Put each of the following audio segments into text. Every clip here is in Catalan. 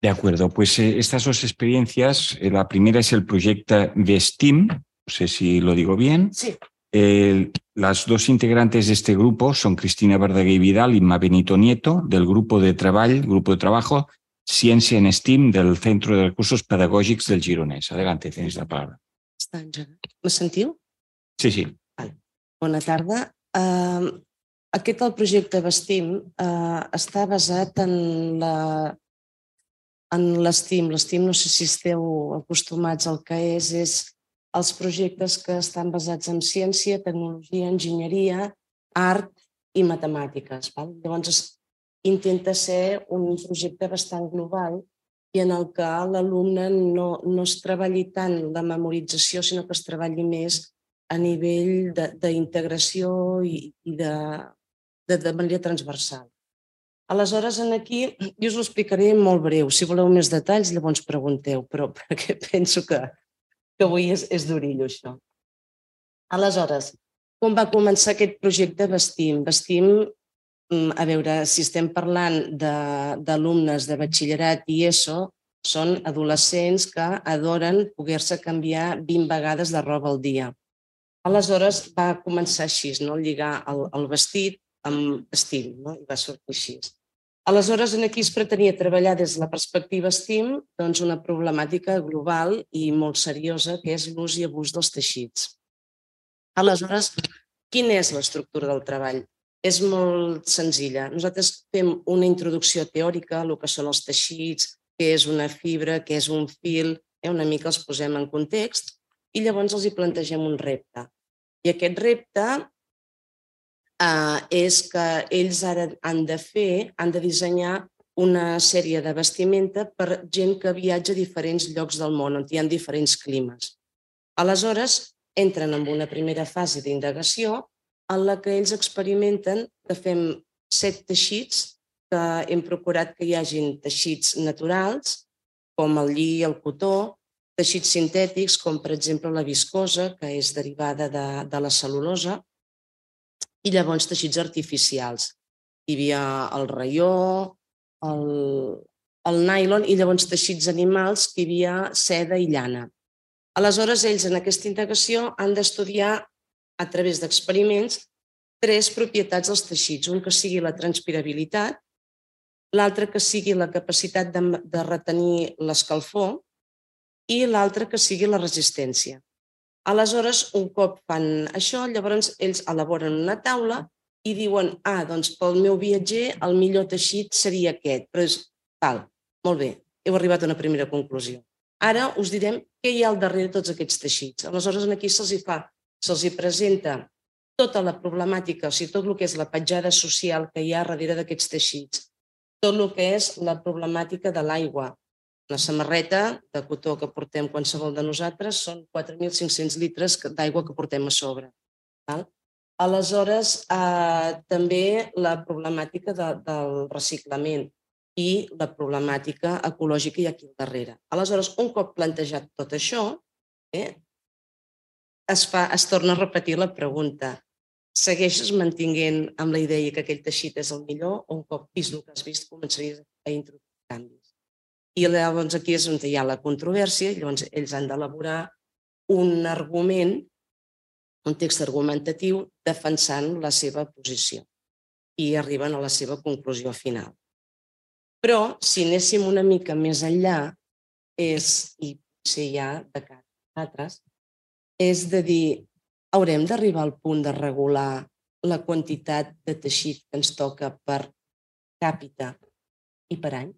De acuerdo, pues estas dos experiencias, la primera es el proyecto Vestim, no sé si lo digo bien. Sí. Las dos integrantes de este grupo son Cristina Verdaguer Vidal y Ma Benito Nieto, del grupo de trabajo Ciència en STEAM del Centro de Recursos Pedagògics del Gironès. Adelante, tienes la palabra. Me sentiu? Sí, sí. Vale. Bona tarda. El projecte Vestim està basat en l'STEAM. L'STEAM, no sé si esteu acostumats al que és els projectes que estan basats en ciència, tecnologia, enginyeria, art i matemàtiques. Llavors, intenta ser un projecte bastant global i en el que l'alumne no es treballi tant la memorització, sinó que es treballi més a nivell d'integració i de manera transversal. Aleshores, aquí jo us ho explicaré molt breu. Si voleu més detalls, llavors pregunteu, però perquè penso que avui és d'orillo, això. Aleshores, com va començar aquest projecte Vestim? Vestim, a veure, si estem parlant d'alumnes de batxillerat i ESO, són adolescents que adoren poder-se canviar 20 vegades de roba al dia. Aleshores va començar així, lligar el vestit amb estil, i va sortir així. Aleshores, aquí es pretenia treballar des de la perspectiva STEAM una problemàtica global i molt seriosa, que és l'ús i abús dels teixits. Aleshores, quina és l'estructura del treball? És molt senzilla. Nosaltres fem una introducció teòrica a el que són els teixits, què és una fibra, què és un fil, una mica els posem en context i llavors els hi plantegem un repte. I aquest repte és que ells ara han de dissenyar una sèrie de vestimenta per gent que viatja a diferents llocs del món, on hi ha diferents climes. Aleshores, entren en una primera fase d'indagació en la que ells experimenten que fem 7 teixits, que hem procurat que hi hagin teixits naturals, com el lli, el cotó, teixits sintètics, com per exemple la viscosa, que és derivada de la cel·lulosa, i llavors teixits artificials. Hi havia el raió, el nylon i llavors teixits animals, que hi havia seda i llana. Aleshores, ells en aquesta indagació han d'estudiar a través d'experiments 3 propietats dels teixits, un que sigui la transpirabilitat, l'altre que sigui la capacitat de retenir l'escalfor i l'altre que sigui la resistència. Aleshores, un cop fan això, llavors ells elaboren una taula i diuen, doncs pel meu viatger el millor teixit seria aquest, però és tal, molt bé, heu arribat a una primera conclusió. Ara us direm què hi ha al darrere de tots aquests teixits. Aleshores, aquí se'ls presenta tota la problemàtica, o sigui, tot el que és la petjada social que hi ha darrere d'aquests teixits, tot el que és la problemàtica de l'aigua. La samarreta de cotó que portem qualsevol de nosaltres són 4.500 litres d'aigua que portem a sobre. Aleshores, també la problemàtica del reciclament i la problemàtica ecològica hi ha aquí al darrere. Aleshores, un cop plantejat tot això, es torna a repetir la pregunta. Segueixes mantinguent amb la idea que aquell teixit és el millor o un cop vist el que has vist començaries a introduir canvis? I llavors aquí és on hi ha la controvèrsia i llavors ells han d'elaborar un argument, un text argumentatiu defensant la seva posició i arriben a la seva conclusió final. Però si anéssim una mica més enllà, i potser ja de cara a altres, és de dir, haurem d'arribar al punt de regular la quantitat de teixit que ens toca per càpita i per any?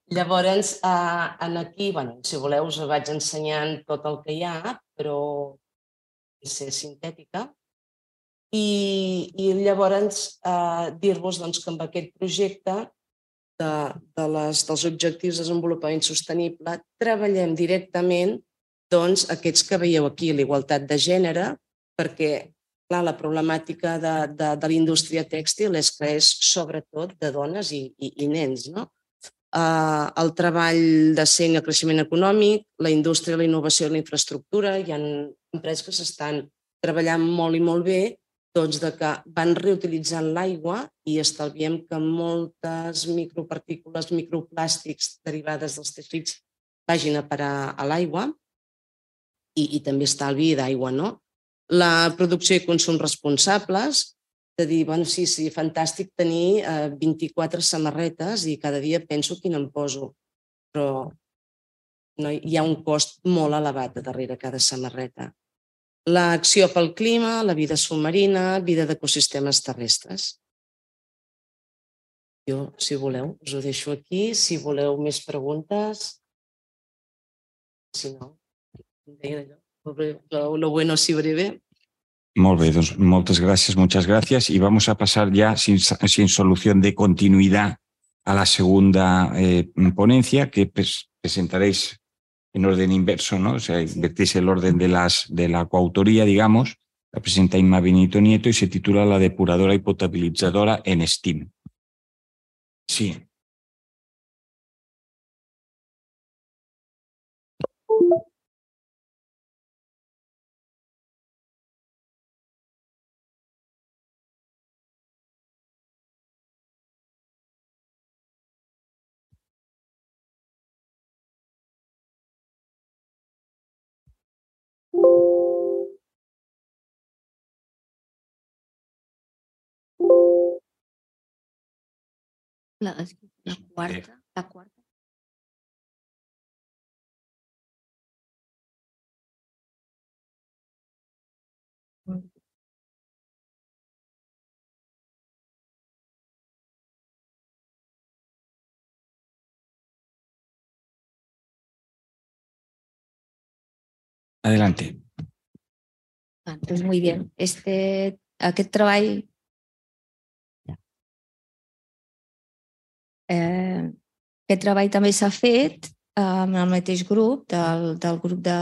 Llavors, aquí, si voleu, us vaig ensenyant tot el que hi ha, però és sintètica. I llavors dir-vos que amb aquest projecte dels objectius de desenvolupament sostenible treballem directament aquests que veieu aquí, la igualtat de gènere, perquè la problemàtica de la indústria tèxtil és que és sobretot de dones i nens. El treball decent i el creixement econòmic, la indústria, la innovació i la infraestructura, hi ha empreses que s'estan treballant molt i molt bé doncs, que van reutilitzant l'aigua i estalviem que moltes micropartícules, microplàstics derivades dels teixits vagin a parar a l'aigua i també estalvi d'aigua, no? La producció i consum responsables, de dir, bueno, sí, fantàstic tenir 24 samarretes i cada dia penso quina em poso, però hi ha un cost molt elevat darrere cada samarreta. L'acció pel clima, la vida submarina, vida d'ecosistemes terrestres. Jo, si voleu, us ho deixo aquí. Si voleu més preguntes, si no, lo bueno si breve. Molt bé, doncs moltes gràcies, muchas gracias. Y vamos a pasar ya sin solución de continuidad a la segunda ponencia que presentaréis en orden inverso, ¿no? O sea, invertís el orden de la coautoría, digamos. La presenta Inma Benito Nieto y se titula La depuradora y potabilizadora en STEAM. Sí. La cuarta. Adelante. Pues muy bien. Aquest treball també s'ha fet amb el mateix grup, del grup de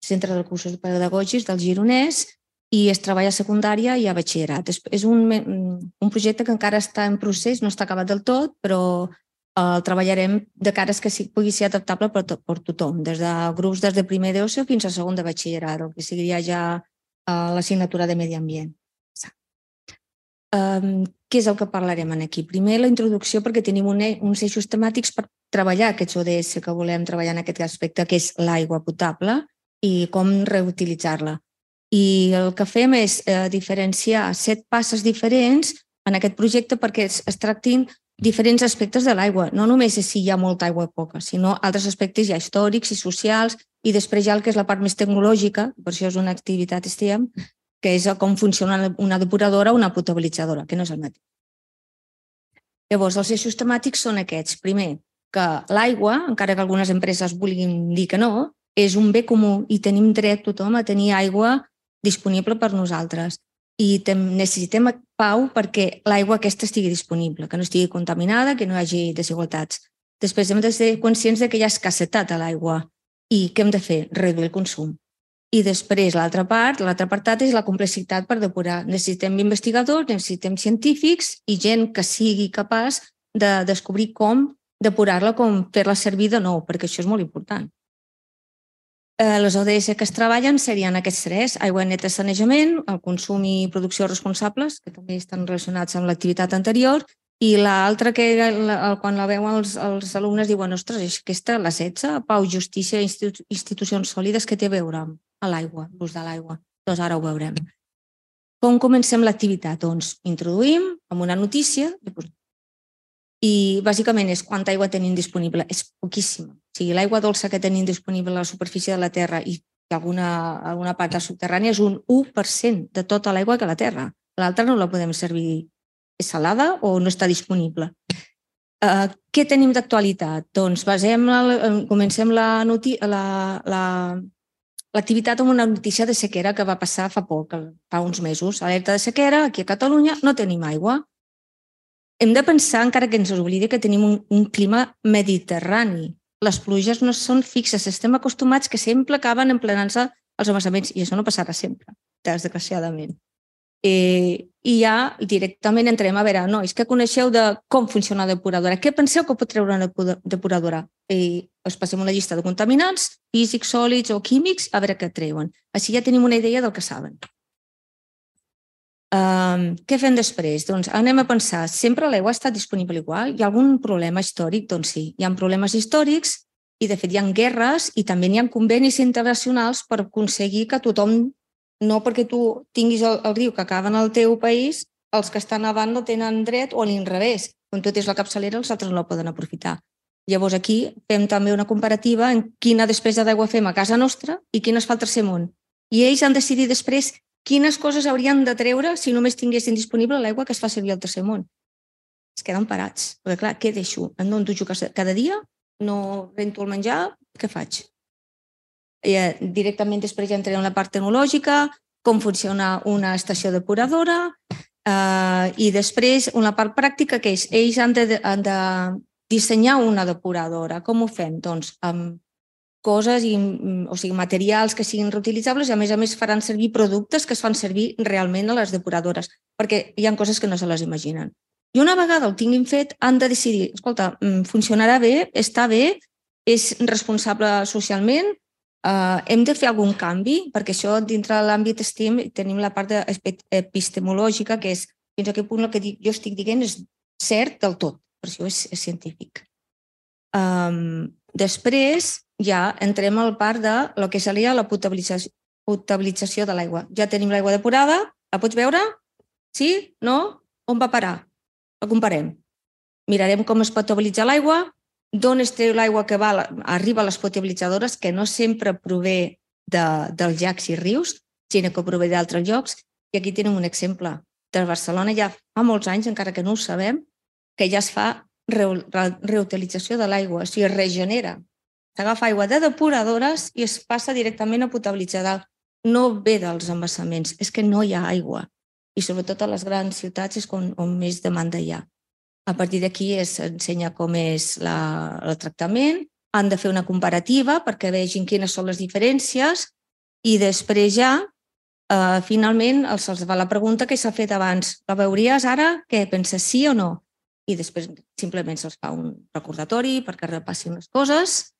Centre de Recursos Pedagògics del Gironès, i es treballa a secundària i a batxillerat. És un projecte que encara està en procés, no està acabat del tot, però el treballarem de cara que pugui ser adaptable per tothom, des de grups des de primer d'ESO fins a segon de batxillerat, el que seria ja l'assignatura de Medi Ambient. Què és el que parlarem aquí? Primer, la introducció, perquè tenim uns eixos temàtics per treballar aquests ODS que volem treballar en aquest aspecte, que és l'aigua potable i com reutilitzar-la. I el que fem és diferenciar 7 passes diferents en aquest projecte perquè es tractin diferents aspectes de l'aigua. No només és si hi ha molta aigua o poca, sinó altres aspectes ja històrics i socials, i després ja el que és la part més tecnològica, per això és una activitat STEAM, que és com funciona una depuradora o una potabilitzadora, que no és el mateix. Llavors, els eixos temàtics són aquests. Primer, que l'aigua, encara que algunes empreses vulguin dir que no, és un bé comú i tenim dret tothom a tenir aigua disponible per nosaltres. I necessitem pau perquè l'aigua aquesta estigui disponible, que no estigui contaminada, que no hi hagi desigualtats. Després hem de ser conscients que hi ha escassetat a l'aigua i què hem de fer? Reduir el consum. I després l'altra part, l'altre apartat és la complexitat per depurar. Necessitem investigadors, necessitem científics i gent que sigui capaç de descobrir com depurar-la, com fer-la servir de nou, perquè això és molt important. Les ODS que es treballen serien aquests 3, aigua neta i sanejament, el consum i producció responsables, que també estan relacionats amb l'activitat anterior, i l'altra que quan la veuen els alumnes diuen, ostres, aquesta, la 16, pau, justícia i institucions sòlides, que té a veure amb l'aigua, l'ús de l'aigua. Doncs ara ho veurem. Com comencem l'activitat? Doncs introduïm amb una notícia i bàsicament és quanta aigua tenim disponible. És poquíssima. O sigui, l'aigua dolça que tenim disponible a la superfície de la Terra i alguna part del subterrani és un 1% de tota l'aigua que a la Terra. L'altra no la podem servir. És salada o no està disponible. Què tenim d'actualitat? Doncs comencem l'activitat amb una notícia de sequera que va passar fa poc, fa uns mesos. Alerta de sequera, aquí a Catalunya no tenim aigua. Hem de pensar, encara que ens oblidi, que tenim un clima mediterrani. Les pluges no són fixes, estem acostumats que sempre acaben emplenant-se els embassaments i això no passarà sempre, desgraciadament. I ja directament entrem a veure, no, és que coneixeu de com funciona la depuradora, què penseu que pot treure una depuradora? I us passem una llista de contaminants, físics, sòlids o químics, a veure què treuen. Així ja tenim una idea del que saben. Què fem després? Doncs anem a pensar, sempre l'aigua ha estat disponible igual? Hi ha algun problema històric? Doncs sí, hi ha problemes històrics i de fet hi ha guerres i també hi ha convenis internacionals per aconseguir que tothom, no perquè tu tinguis el riu que acaba en el teu país, els que estan avant no tenen dret o a l'inrevés. Quan tu tens la capçalera, els altres no la poden aprofitar. Llavors aquí fem també una comparativa en quina despesa d'aigua fem a casa nostra i quina es fa al tercer món. I ells han decidit després quines coses haurien de treure si només tinguessin disponible l'aigua que es fa servir al tercer món. Es queden parats. Perquè clar, què deixo? Em dono dutxo cada dia? No rento el menjar? Què faig? Directament després ja entrem en la part tecnològica, com funciona una estació depuradora i després una part pràctica que és ells han de dissenyar una depuradora. Com ho fem? Doncs amb coses, o sigui, materials que siguin reutilitzables i a més faran servir productes que es fan servir realment a les depuradores, perquè hi ha coses que no se les imaginen. I una vegada el tinguin fet, han de decidir, escolta, funcionarà bé, està bé, és responsable socialment, hem de fer algun canvi, perquè això dintre de l'àmbit STEAM tenim la part epistemològica, que és fins a quin punt el que jo estic dient és cert del tot, per això és científic. Després ja entrem al part de lo que seria la potabilització de l'aigua. Ja tenim l'aigua depurada, la pots veure? Sí? No? On va parar? La comparem. Mirarem com es potabilitza l'aigua, d'on es treu l'aigua que arriba a les potabilitzadores, que no sempre prové dels llacs i rius, sinó que prové d'altres llocs. I aquí tenim un exemple. De Barcelona ja fa molts anys, encara que no ho sabem, que ja es fa reutilització de l'aigua, o sigui, es regenera. S'agafa aigua de depuradores i es passa directament a potabilitzar. No ve dels embassaments, és que no hi ha aigua. I sobretot a les grans ciutats és on més demanda hi ha. A partir d'aquí s'ensenya com és el tractament, han de fer una comparativa perquè vegin quines són les diferències i després ja, finalment, se'ls fa la pregunta que s'ha fet abans. La veuries ara? Què penses, sí o no? I després simplement se'ls fa un recordatori perquè repassin les coses.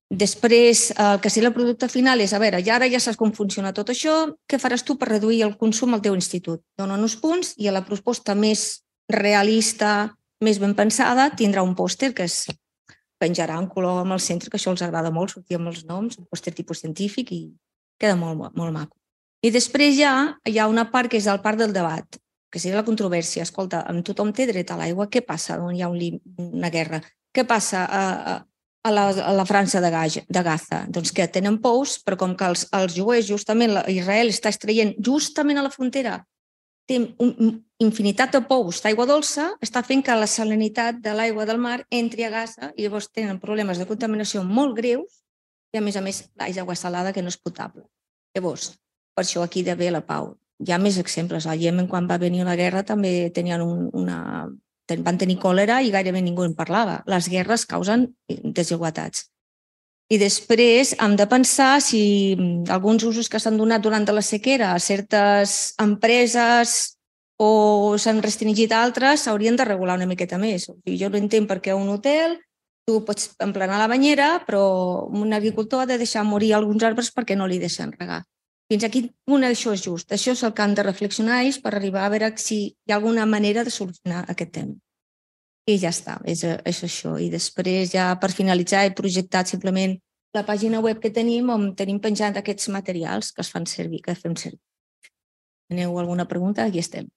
Després, el que seria el producte final és, a veure, ara ja saps com funciona tot això, què faràs tu per reduir el consum al teu institut? Donen uns punts i a la proposta més realista, més ben pensada, tindrà un pòster que es penjarà en color amb el centre, que això els agrada molt, sortir amb els noms, un pòster tipus científic i queda molt maco. I després ja hi ha una part que és el part del debat, que seria la controvèrsia. Escolta, tothom té dret a l'aigua, què passa on hi ha una guerra? Què passa a la França de Gaza? Doncs que tenen pous, però com que els jueus, justament, Israel està extraient justament a la frontera, té infinitat de pous d'aigua dolça, està fent que la salinitat de l'aigua del mar entri a Gaza i llavors tenen problemes de contaminació molt greus i, a més, l'aigua salada que no és potable. Llavors, per això aquí hi ha d'haver la pau. Hi ha més exemples. Al Iemen, quan va venir la guerra, també van tenir còlera i gairebé ningú en parlava. Les guerres causen desigualtats. I després hem de pensar si alguns usos que s'han donat durant la sequera a certes empreses o s'han restringit a altres s'haurien de regular una miqueta més. Jo no entenc per què un hotel tu pots emplenar la banyera, però un agricultor ha de deixar morir alguns arbres perquè no li deixen regar. Fins a quin punt això és just? Això és el que han de reflexionar ells per arribar a veure si hi ha alguna manera de solucionar aquest tema. I ja està, és això. I després, ja per finalitzar, he projectat simplement la pàgina web que tenim on tenim penjat aquests materials que es fan servir, que fem servir. Teniu alguna pregunta? Aquí estem.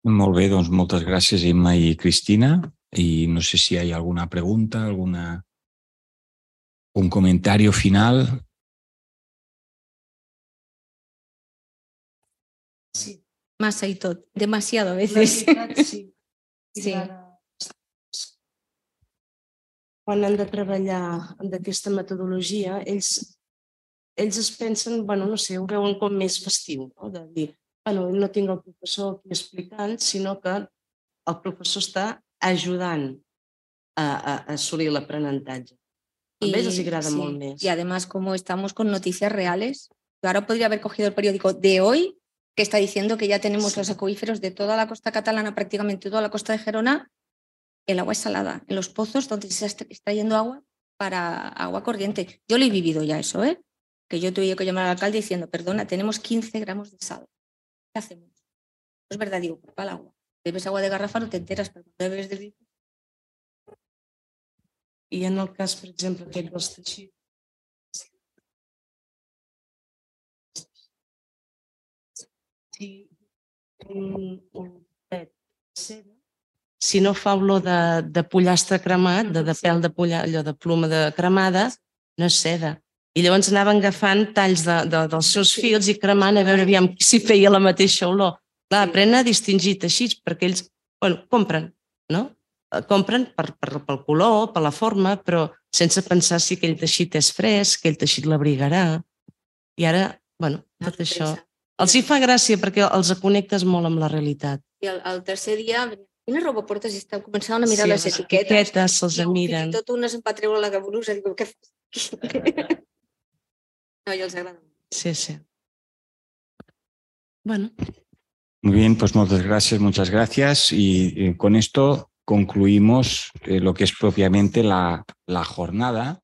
Molt bé, doncs moltes gràcies, Imma i Cristina. I no sé si hi ha alguna pregunta, un comentario final. Sí. Massa y tot, demasiado a veces. Sí. Quan han de treballar amb aquesta metodologia, ells es pensen, no sé, ho veuen com més festiu, no? De dir, no tinc el professor aquí explicant, sinó que el professor està ajudant a assolir l'aprenentatge. A ells els agrada molt més. Y además, como estamos con noticias reales, yo ahora podría haber cogido el periódico de hoy, que está diciendo que ya tenemos los acuíferos de toda la costa catalana, prácticamente toda la costa de Gerona, el agua es salada. En los pozos donde se está extrayendo agua, para agua corriente. Yo lo he vivido ya eso, ¿eh? Que yo tuve que llamar al alcalde diciendo, perdona, tenemos 15 gramos de sal. ¿Qué hacemos? No es verdad, digo, para el agua. Bebes agua de garrafa, no te enteras, pero cuando bebes de grifo. I en el cas, per exemple, aquest dels teixits, si no fa olor de pollastre cremat, de pèl de pollastre, allò de ploma de cremada, no és seda. I llavors anaven agafant talls dels seus fils i cremant a veure aviam si feia la mateixa olor. Clar, aprenen a distingir teixits perquè ells, bueno, compren, no? Compren pel color, per la forma, però sense pensar si aquell teixit és fresc, aquell teixit l'abrigarà. I ara, bueno, tot això... Els hi fa gràcia perquè els connectes molt amb la realitat. I el tercer dia, quina roba portes? I estan començant a mirar les etiquetes. Les etiquetes se'ls miren. Fins i tot unes em va treure la blusa. Dic, què fas? No, i els agrada. Sí, sí. Bueno. Muy bien, pues muchas gracias. Y con esto concluimos lo que es propiamente la jornada.